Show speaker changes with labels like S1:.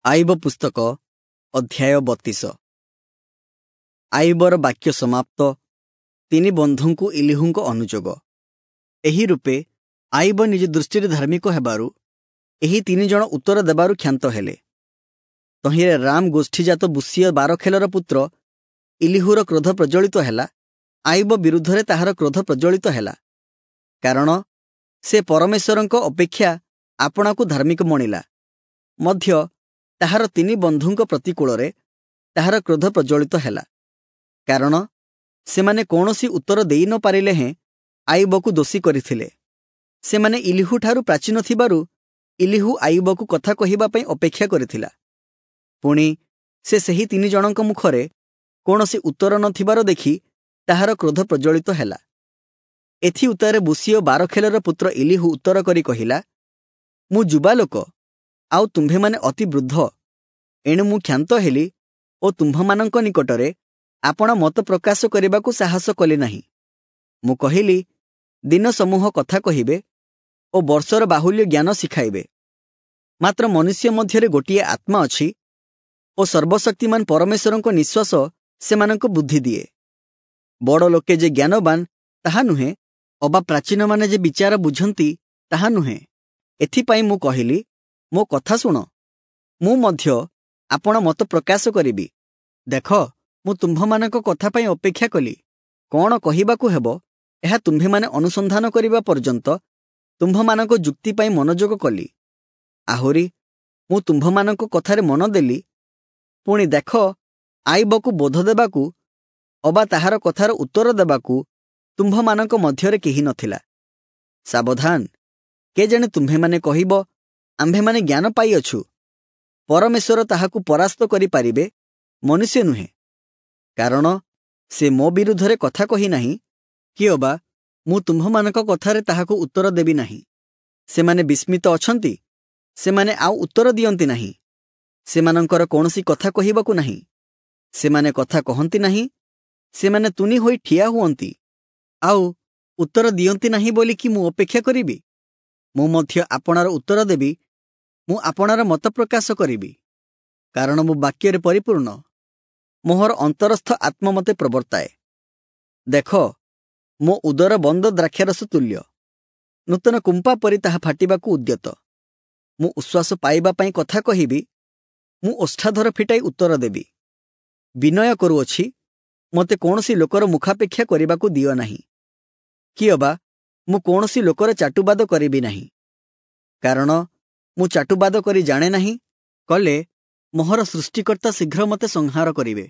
S1: ଆଇବ ପୁସ୍ତକ ଅଧ୍ୟାୟ 32। ଆଇବର ବାକ୍ୟ ସମାପ୍ତ। ତିନି ବନ୍ଧୁଙ୍କୁ ଇଲିହୁଙ୍କ ଅନୁଯୋଗ। ଏହି ରୂପେ ଆଇବ ନିଜ ଦୃଷ୍ଟିରେ ଧାର୍ମିକ ହେବାରୁ ଏହି ତିନି ଜଣ ଉତ୍ତର ଦେବାରୁ କ୍ଷାନ୍ତ ହେଲେ। ତହିଁରେ ରାମ ଗୋଷ୍ଠୀଜାତ ବୁସିୟ ବାରଖେଲର ପୁତ୍ର ଇଲିହୁର କ୍ରୋଧ ପ୍ରଜ୍ୱଳିତ ହେଲା। ଆଇବ ବିରୁଦ୍ଧରେ ତାହାର କ୍ରୋଧ ପ୍ରଜ୍ୱଳିତ ହେଲା, କାରଣ ସେ ପରମେଶ୍ୱରଙ୍କ ଅପେକ୍ଷା ଆପଣାକୁ ଧାର୍ମିକ ମଣିଲା। ମଧ୍ୟ ତାହାର ତିନି ବନ୍ଧୁଙ୍କ ପ୍ରତିକୂଳରେ ତାହାର କ୍ରୋଧ ପ୍ରଜ୍ୱଳିତ ହେଲା, କାରଣ ସେମାନେ କୌଣସି ଉତ୍ତର ଦେଇ ନ ପାରିଲେ ହେଁ ଆଇବକୁ ଦୋଷୀ କରିଥିଲେ। ସେମାନେ ଇଲିହୁଠାରୁ ପ୍ରାଚୀନ ଥିବାରୁ ଇଲିହୁ ଆଇବକୁ କଥା କହିବା ପାଇଁ ଅପେକ୍ଷା କରିଥିଲା। ପୁଣି ସେ ସେହି ତିନି ଜଣଙ୍କ ମୁଖରେ କୌଣସି ଉତ୍ତର ନଥିବାର ଦେଖି ତାହାର କ୍ରୋଧ ପ୍ରଜ୍ୱଳିତ ହେଲା। ଏଥି ଉତ୍ତାରେ ବୁସିୟ ବାରଖେଲର ପୁତ୍ର ଇଲିହୁ ଉତ୍ତର କରି କହିଲା, ମୁଁ ଯୁବା ଲୋକ, ଆଉ ତୁମ୍ଭେମାନେ ଅତି ବୃଦ୍ଧ। ଏଣୁ ମୁଁ କ୍ଷାନ୍ତ ହେଲି ଓ ତୁମ୍ଭମାନଙ୍କ ନିକଟରେ ଆପଣ ମତ ପ୍ରକାଶ କରିବାକୁ ସାହସ କଲି ନାହିଁ। ମୁଁ କହିଲି, ଦିନ ସମୂହ କଥା କହିବେ ଓ ବର୍ଷର ବାହୁଲ୍ୟ ଜ୍ଞାନ ଶିଖାଇବେ। ମାତ୍ର ମନୁଷ୍ୟ ମଧ୍ୟରେ ଗୋଟିଏ ଆତ୍ମା ଅଛି ଓ ସର୍ବଶକ୍ତିମାନ ପରମେଶ୍ୱରଙ୍କ ନିଶ୍ୱାସ ସେମାନଙ୍କୁ ବୁଦ୍ଧି ଦିଏ। ବଡ଼ ଲୋକେ ଯେ ଜ୍ଞାନବାନ ତାହା ନୁହେଁ, ଅବା ପ୍ରାଚୀନମାନେ ଯେ ବିଚାର ବୁଝନ୍ତି ତାହା ନୁହେଁ। ଏଥିପାଇଁ ମୁଁ କହିଲି, ମୋ କଥା ଶୁଣ, ମୁଁ ମଧ୍ୟ ଆପଣ ମତ ପ୍ରକାଶ କରିବି। ଦେଖ, ମୁଁ ତୁମ୍ଭମାନଙ୍କ କଥା ପାଇଁ ଅପେକ୍ଷା କଲି। କ'ଣ କହିବାକୁ ହେବ ଏହା ତୁମ୍ଭେମାନେ ଅନୁସନ୍ଧାନ କରିବା ପର୍ଯ୍ୟନ୍ତ ତୁମ୍ଭମାନଙ୍କ ଯୁକ୍ତି ପାଇଁ ମନୋଯୋଗ କଲି। ଆହୁରି ମୁଁ ତୁମ୍ଭମାନଙ୍କ କଥାରେ ମନ ଦେଲି। ପୁଣି ଦେଖ, ଆଇବକୁ ବୋଧ ଦେବାକୁ ଅବା ତାହାର କଥାର ଉତ୍ତର ଦେବାକୁ ତୁମ୍ଭମାନଙ୍କ ମଧ୍ୟରେ କେହି ନଥିଲା। ସାବଧାନ, କେଜାଣି ତୁମ୍ଭେମାନେ କହିବ, ଆମ୍ଭେମାନେ ଜ୍ଞାନ ପାଇଅଛୁ। ପରମେଶ୍ୱର ତାହାକୁ ପରାସ୍ତ କରିପାରିବେ, ମନୁଷ୍ୟ ନୁହେଁ। କାରଣ ସେ ମୋ ବିରୁଦ୍ଧରେ କଥା କହି ନାହିଁ, କି ଅବା ମୁଁ ତୁମ୍ଭମାନଙ୍କ କଥାରେ ତାହାକୁ ଉତ୍ତର ଦେବି ନାହିଁ। ସେମାନେ ବିସ୍ମିତ ଅଛନ୍ତି, ସେମାନେ ଆଉ ଉତ୍ତର ଦିଅନ୍ତି ନାହିଁ। ସେମାନଙ୍କର କୌଣସି କଥା କହିବାକୁ ନାହିଁ। ସେମାନେ କଥା କହନ୍ତି ନାହିଁ, ସେମାନେ ତୁନି ହୋଇ ଠିଆ ହୁଅନ୍ତି, ଆଉ ଉତ୍ତର ଦିଅନ୍ତି ନାହିଁ ବୋଲି କି ମୁଁ ଅପେକ୍ଷା କରିବି? ମୁଁ ମଧ୍ୟ ଆପଣାର ଉତ୍ତର ଦେବି, ମୁଁ ଆପଣାର ମତ ପ୍ରକାଶ କରିବି। କାରଣ ମୁଁ ବାକ୍ୟରେ ପରିପୂର୍ଣ୍ଣ, ମୋହର ଅନ୍ତରସ୍ଥ ଆତ୍ମା ମୋତେ ପ୍ରବର୍ତ୍ତାଏ। ଦେଖ, ମୋ ଉଦର ବନ୍ଦ ଦ୍ରାକ୍ଷାରସ ତୁଲ୍ୟ, ନୂତନ କୁମ୍ପା ପରି ତାହା ଫାଟିବାକୁ ଉଦ୍ୟତ। ମୁଁ ଉଶ୍ୱାସ ପାଇବା ପାଇଁ କଥା କହିବି, ମୁଁ ଓଷ୍ଠାଧର ଫିଟାଇ ଉତ୍ତର ଦେବି। ବିନୟ କରୁଅଛି, ମୋତେ କୌଣସି ଲୋକର ମୁଖାପେକ୍ଷା କରିବାକୁ ଦିଅ ନାହିଁ, କି ଅବା ମୁଁ କୌଣସି ଲୋକର ଚାଟୁବାଦ କରିବି ନାହିଁ। କାରଣ ମୁଁ ଚାଟୁବାଦ କରି ଜାଣେ ନାହିଁ, କଲେ ମୋହର ସୃଷ୍ଟିକର୍ତ୍ତା ଶୀଘ୍ର ମୋତେ ସଂହାର କରିବେ।